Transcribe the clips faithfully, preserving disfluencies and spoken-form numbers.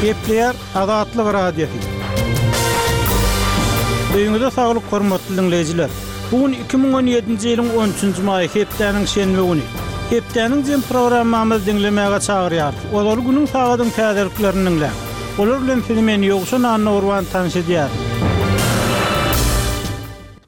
Gepleýär Azatlyk Radiosy. Öýüňize saglyk hormatly diňleýjiler. Bu gün iki müň on ýedinji ýylyň on üçünji maýy hepdäniň şenbe güni. Hepdäniň jem programmamyzy diňlemäge çagyrýarys. Ozaly günüň sagadyň täzeliklerini diňläň. Olar bilen sizi men Ýowşan Annagurban tanyş edýärin.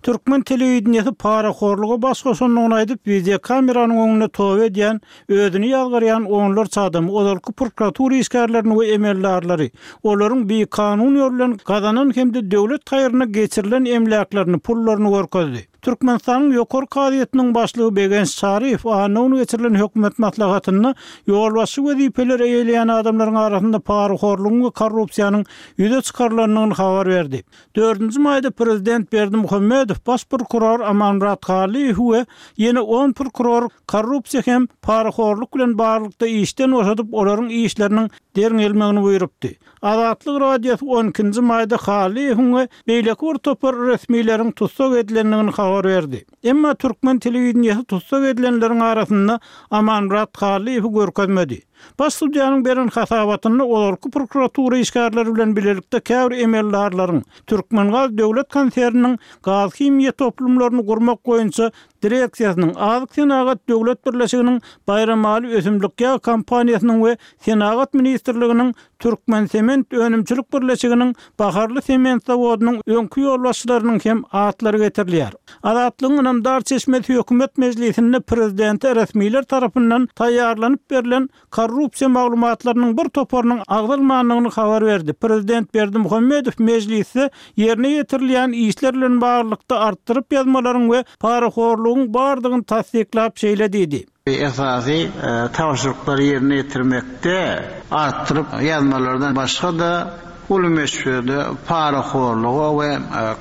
Türkmen telewideniýesi parahorluga baş goşandygyny aýdyp, wideokameranyň öňünde toba edýän, özüni ýazgarýan onlarça adamy, ozalky prokuratura işgärlerini we emeldarlary, olaryň bikanun ýol bilen gazanan hem-de döwlet haýryna geçirilen emläklerini, pullaryny görkezdi. Türkmenistanyň Ýokary kazyýetiniň başlygy Begenç Çaryýew anna güni geçirilen hökümet maslahatynda ýolbaşçy wezipeleri eýeleýän adamlaryň arasynda parahorlugyň we korrupsiýanyň ýüze çykarylandygyny habar berdi. Dördünji maýda prezident Berdimuhamedow baş prokuror Amanmyrat Hallyýewi we ýene on prokuror korrupsiýa hem parahorluk bilen baglylykda işden boşadyp, olaryň işleriniň derňelmegini buýrupdy. Azatlyk Radiosy on ikinji maýda Hallyýewiň we beýleki bir topar resmileriň tussag edilendigini habar berdi. Emma türkmen telewideniýesi tussag edilenleriň arasynda Amanmyrat Hallyýewi görkezmedi. Baş sudýanyň beren hasabatynda ozalky prokuratura işgärleri bilen bilelikde käbir emeldarlaryň Türkmengaz döwlet konserniniň gaz-himiýa toplumlaryny gurmak boýunça direksiýasynyň, Azyk senagat döwlet birleşiginiň Baýramaly ösümlik ýag kompaniýasynyň we Senagat ministrliginiň Türkmensement önümçilik birleşiginiň Baharly sement zawodynyň öňki ýolbaşçylarynyň hem atlary getirilýär. Azatlygyň ynamdar çeşmesi hökümet mejlisinde prezidente resmiler tarapyndan taýýarlanyp berlen korrupsiýa maglumatlarynyň bir toparynyň agzalmandygyny habar berdi. Prezident Berdimuhamedow mejlisde ýerine ýetirilýän işler bilen baglylykda artdyryp ýazmalaryň we parahorlugyň bardygyny tassyklap şeýle diýdi. Esasy tabşyryklary ýerine ýetirmekde artdyryp ýazmalardan başga-da uly möçberde parahorluga we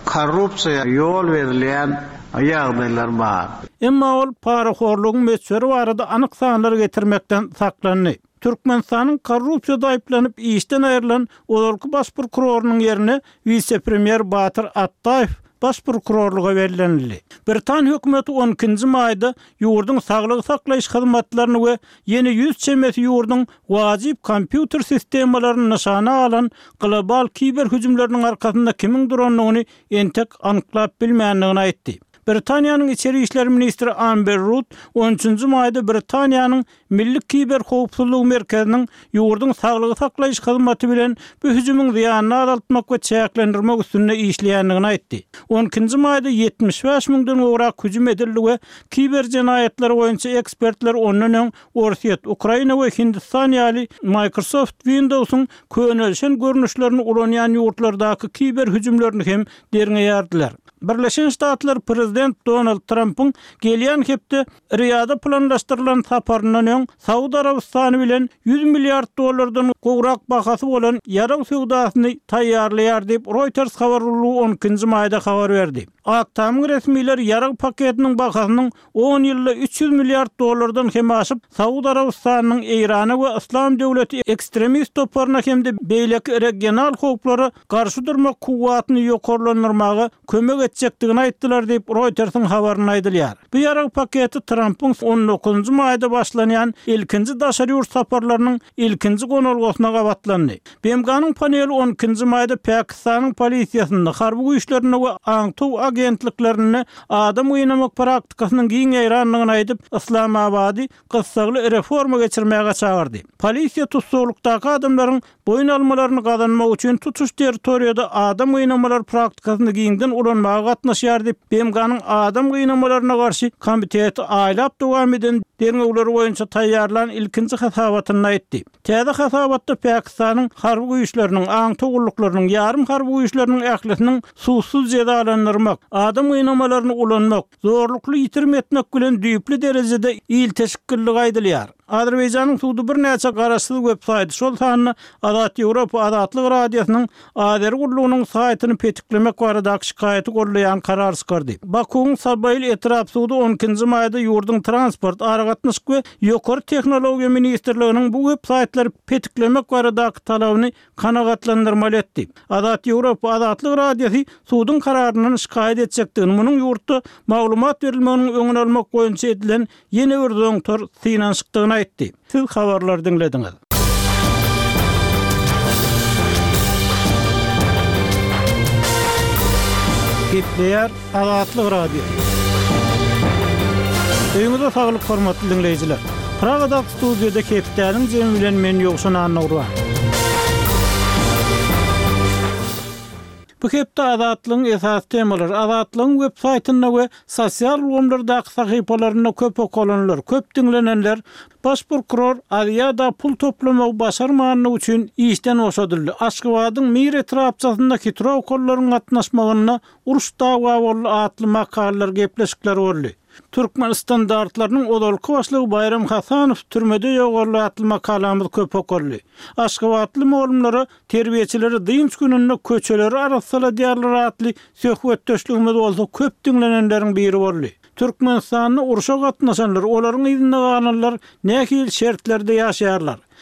korrupsiýa ýol berilýän ýagdaýlar bar. Emma ol parahorlugyň möçberi barada anyk sanlar getirmekden saklandy. Türkmenistanyň korrupsiýada aýyplanyp işden aýrylan ozalky baş prokurorynyň ýerine wise-premýer Batyr Atdaýew baş prokurorlyga bellenildi. Britan hökümeti on ikinji maýda ýurduň saglygy saklaýyş hyzmatlaryny we ýene ýüz çemesi ýurduň wajyp kompýuter sistemalaryny nyşana alan global kiber hüjümleriniň arkasynda kimiň durandygyny entek anyklap bilmändigini aýtdy. Britaniýanyň içeri işler ministri Amber Rudd on üçünji maýda Britaniýanyň Milli kiber howpsuzlygy merkeziniň ýurduň saglygy saklaýyş hyzmaty bilen bu hüjümiň zyýanyny azaltmak we çäklendirmek üstünde işleýändigini aýtdy. On ikinji maýda ýetmiş bäş müňden gowrak hüjüm edildi we kiber jenaýatlary boýunça ekspertler ondan öň Orsýet, Ukraina we Hindistan ýaly Microsoft Windows-yň könelişen görnüşlerini ulanýan ýurtlardaky kiber hüjümlerini hem derňeýärdiler. Birleşen Ştatlar prezident Donald Trampyň gelýän hepde Riýada planlaşdyrylan saparyndan öň Saud Arabystany bilen ýüz milliard dollardan gowrak bahasy bolan ýarag söwdasyny taýýarlaýar diýip, Reuters habar gullugy on ikinji maýda habar berdi. Ak Tamyň resmileri ýarag paketiniň bahasynyň on ýylda üç ýüz milliard dollardan hem aşyp, Saud Arabystanynyň Eýrana we Yslam döwleti ekstremist toparyna hem-de beýleki regional howplara garşy durmak kuwwatyny ýokarlandyrmaga kömek etjekdigini aýtdylar diýip, Reutersiň habarynda aýdylýar. Bu ýarag paketi Trampyň on dokuzynjy maýda başlanýan ilkinji daşary ýurt saparlarynyň ilkinji gonalgasyna gabatlandy. B M G-nyň paneli on ikinji maýda Pakistanyň polisiýasynda, harby güýçlerinde we aňtaw agentliklerinde adam gynamak praktikasynyň giň ýaýrandygyny aýdyp, Yslamabady gyssagly reforma geçirmäge çagyrdy. Polisiýa tussaglykdaky adamlaryň boýun almalaryny gazanmak üçin tutuş territoriýada adam gynamalar praktikasyny giňden ulanmaga gatnaşýar diýip, B M G-nyň adam gynamalaryna garşy komiteti aýlap dowam eden derňewleri boýunça taýýarlan ilkinji hasabatynda aýtdy. Täze hasabatda Pakistanyň harby güýçleriniň, aňtaw gulluklarynyň, ýarym harby güýçleriniň ählisiniň sudsuz jezalandyrmak, adam gynamalaryny ulanmak, zorlukly ýitirim etmek bilen düýpli derejede ilteşiklilik aýdylýar. Azerbaýjanyň sudy birnäçe garaşsyz web-saýty, şol sanda Azat Ýewropa Azatlyk Radiosynyň Azeri gullugynyň saýtyny petiklemek baradaky şikaýaty gollaýan karar çykardy. Bakuwyň Sabail etrap sudy on ikinji maýda ýurduň transport, aragatnaşyk we ýokary tehnologiýa ministrliginiň bu web-saýtlary petiklemek baradaky talabyny kanagatlandyrmaly etdi. Azat Ýewropa Azatlyk Radiosy suduň kararyndan şikaýat etjekdigini, munuň ýurtda maglumat berilmeginiň öňüni almak boýunça edilen ýene bir zoňtar synanyşykdygyny aýtdy. Siz habarlary diňlediňiz. Gepleýär Azatlyk Radiosy. Öýüňize saglyk hormatly diňleýjiler. Pragadaky studiýada hepdäniň jemi bilen men Ýowşan Annagurban. Bu hepde Azatlygyň esasy temalary Azatlygyň web saýtynda we sosial ulgamlardaky sahypalarynda köp okalanlar, köp diňlenenler Baş prokuror Aziada pul toplamagy başarmanlygy üçin işden boşadyldy. Aşgabadyň Mir etrapçasynda hitrowkalylaryň gatnaşmagynda uruş dawa boldy atly makalalar, gepleşikler boldy. Türkmen standartlarynyň ozalky başlygy Baýram Hasanow türmede ýogaldy atly makalamyz köp okaldy. Aşgabatly mugallymlara terbiýeçileri dynç gününde köçeleri arassaladýarlar atly söhbetdeşligimiz bolsa köp diňlenenleriň biri boldy. Türkmenistanda urşa gatnaşanlar, olaryň yzynda galanlar nähili şertlerde ýaşaýarlar?